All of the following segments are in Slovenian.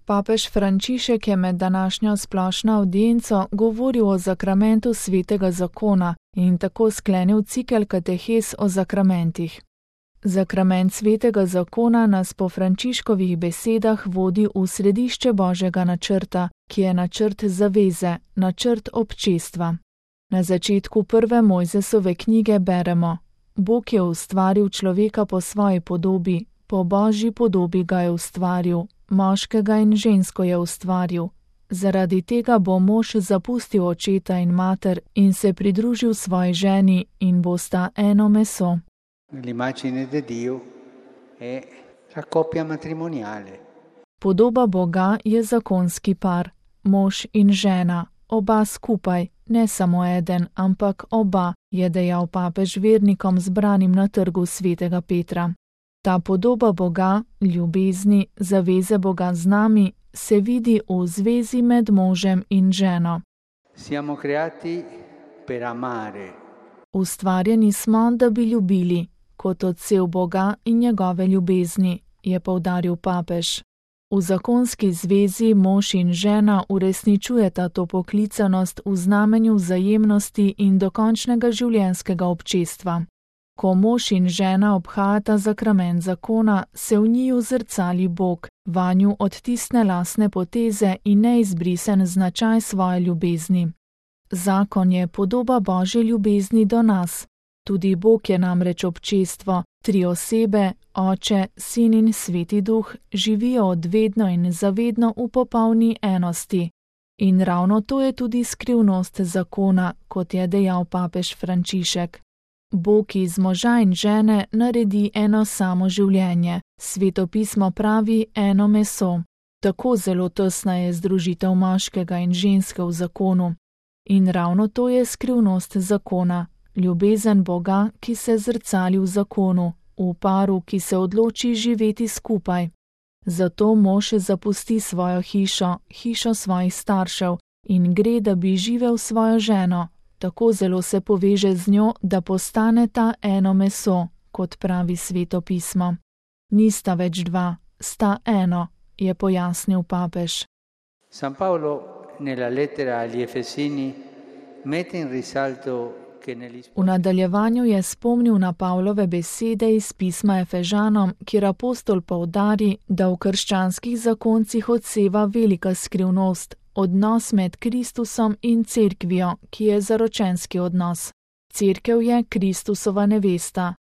Papež Frančišek je med današnjo splošno avdienco govoril o zakramentu svetega zakona in tako sklenil cikel katehes o zakramentih. Zakrament svetega zakona nas po Frančiškovih besedah vodi v središče Božjega načrta, ki je načrt zaveze, načrt občestva. Na začetku prve Mojzesove knjige beremo: Bog je ustvaril človeka po svoji podobi, po Božji podobi ga je ustvaril, moškega in žensko je ustvaril. Zaradi tega bo mož zapustil očeta in mater in se pridružil svoji ženi in bosta eno meso. L'immagine di Dio è la coppia matrimoniale. Podoba Boga je zakonski par, mož in žena, oba skupaj, ne samo eden, ampak oba, je dejal papež vernikom zbranim na trgu svetega Petra. Ta podoba Boga, ljubezni, zaveze Boga z nami, se vidi v zvezi med možem in ženo. Siamo creati per amare. Ustvarjeni smo, da bi ljubili, kot odsev Boga in njegove ljubezni, je poudaril papež. V zakonski zvezi mož in žena uresničujeta to poklicanost v znamenju vzajemnosti in dokončnega življenjskega občestva. Ko mož in žena obhajata zakrament zakona, se v njiju zrcali Bog, vanju odtisne lastne poteze in neizbrisen značaj svoje ljubezni. Zakon je podoba Božje ljubezni do nas. Tudi Bog je namreč občestvo, tri osebe, Oče, Sin in Sveti Duh, živijo odvedno in zavedno v popolni enosti. In ravno to je tudi skrivnost zakona, kot je dejal papež Frančišek. Bog iz moža in žene naredi eno samo življenje, Sveto pismo pravi eno meso. Tako zelo tesna je združitev moškega in ženske v zakonu. In ravno to je skrivnost zakona, ljubezen Boga, ki se zrcali v zakonu, v paru, ki se odloči živeti skupaj. Zato mož zapusti svojo hišo, hišo svojih staršev in gre, da bi živel svojo ženo. Tako zelo se poveže z njo, da postane ta eno meso, kot pravi Sveto pismo. Nista več dva, sta eno, je pojasnil papež. San Paolo nella lettera agli Efesini mette in risalto che negli V nadaljevanju je spomnil na Pavlove besede iz pisma Efežanom, kjer apostol poudari, da v krščanskih zakoncih odseva velika skrivnost, odnos med Kristusom in cerkvijo, ki je zaročenski odnos. Cerkev je Kristusova nevesta.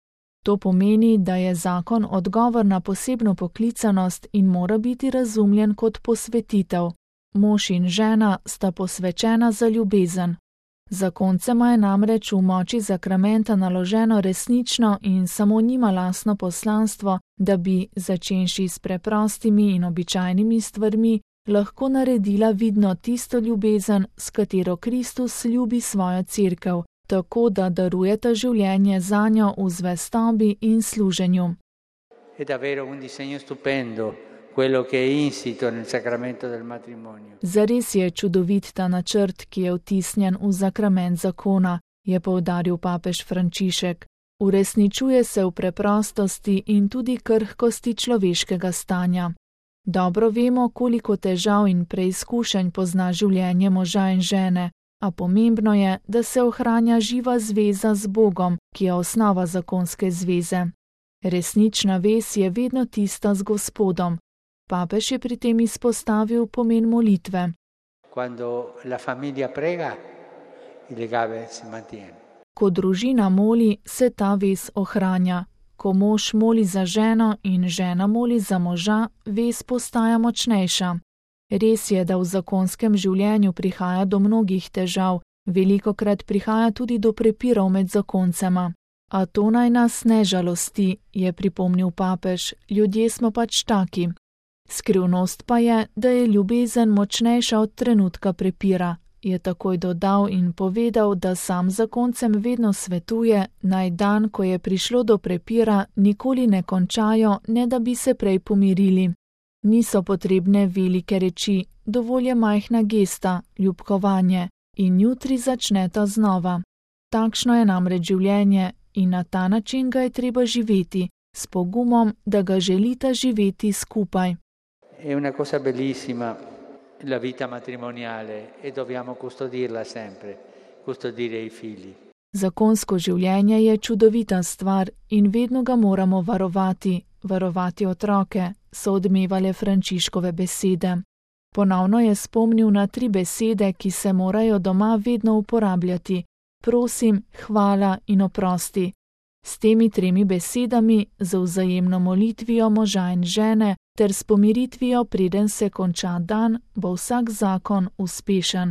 To pomeni, da je zakon odgovor na posebno poklicanost in mora biti razumljen kot posvetitev. Mož in žena sta posvečena za ljubezen. Zakoncema je namreč v moči zakramenta naloženo resnično in samo njima lastno poslanstvo, da bi, začenši s preprostimi in običajnimi stvarmi, lahko naredila vidno tisto ljubezen, s katero Kristus ljubi svojo cerkev, tako da darujeta življenje zanjo v zvestobi in služenju. È davvero un disegno stupendo quello che è insito nel sacramento del matrimonio. Zares je čudovit ta načrt, ki je vtisnjen v zakrament zakona, je poudaril papež Frančišek. Uresničuje se v preprostosti in tudi krhkosti človeškega stanja. Dobro vemo, koliko težav in preizkušenj pozna življenje moža in žene, a pomembno je, da se ohranja živa zveza z Bogom, ki je osnova zakonske zveze. Resnična vez je vedno tista z Gospodom. Papež je pri tem izpostavil pomen molitve. Quando la famiglia prega, il legame si mantiene. Ko družina moli, se ta vez ohranja. Ko mož moli za ženo in žena moli za moža, vez postaja močnejša. Res je, da v zakonskem življenju prihaja do mnogih težav, velikokrat prihaja tudi do prepirov med zakoncema. A to naj nas ne žalosti, je pripomnil papež, ljudje smo pač taki. Skrivnost pa je, da je ljubezen močnejša od trenutka prepira, je takoj dodal in povedal, da sam zakoncem vedno svetuje, naj dan, ko je prišlo do prepira, nikoli ne končajo, ne da bi se prej pomirili. Niso potrebne velike reči, dovolj je majhna gesta, ljubkovanje, in jutri začneta znova. Takšno je namreč življenje in na ta način ga je treba živeti, s pogumom, da ga želita živeti skupaj. È una cosa bellissima la vita matrimoniale e dobbiamo custodirla sempre, custodire i figli. Zakonsko življenje je čudovita stvar in vedno ga moramo varovati otroke, so odmevale Frančiškove besede. Ponovno je spomnil na 3 besede, ki se morajo doma vedno uporabljati: prosim, hvala in oprosti. S temi 3 besedami, z vzajemno molitvijo moža in žene ter s pomiritvijo, preden se konča dan, bo vsak zakon uspešen.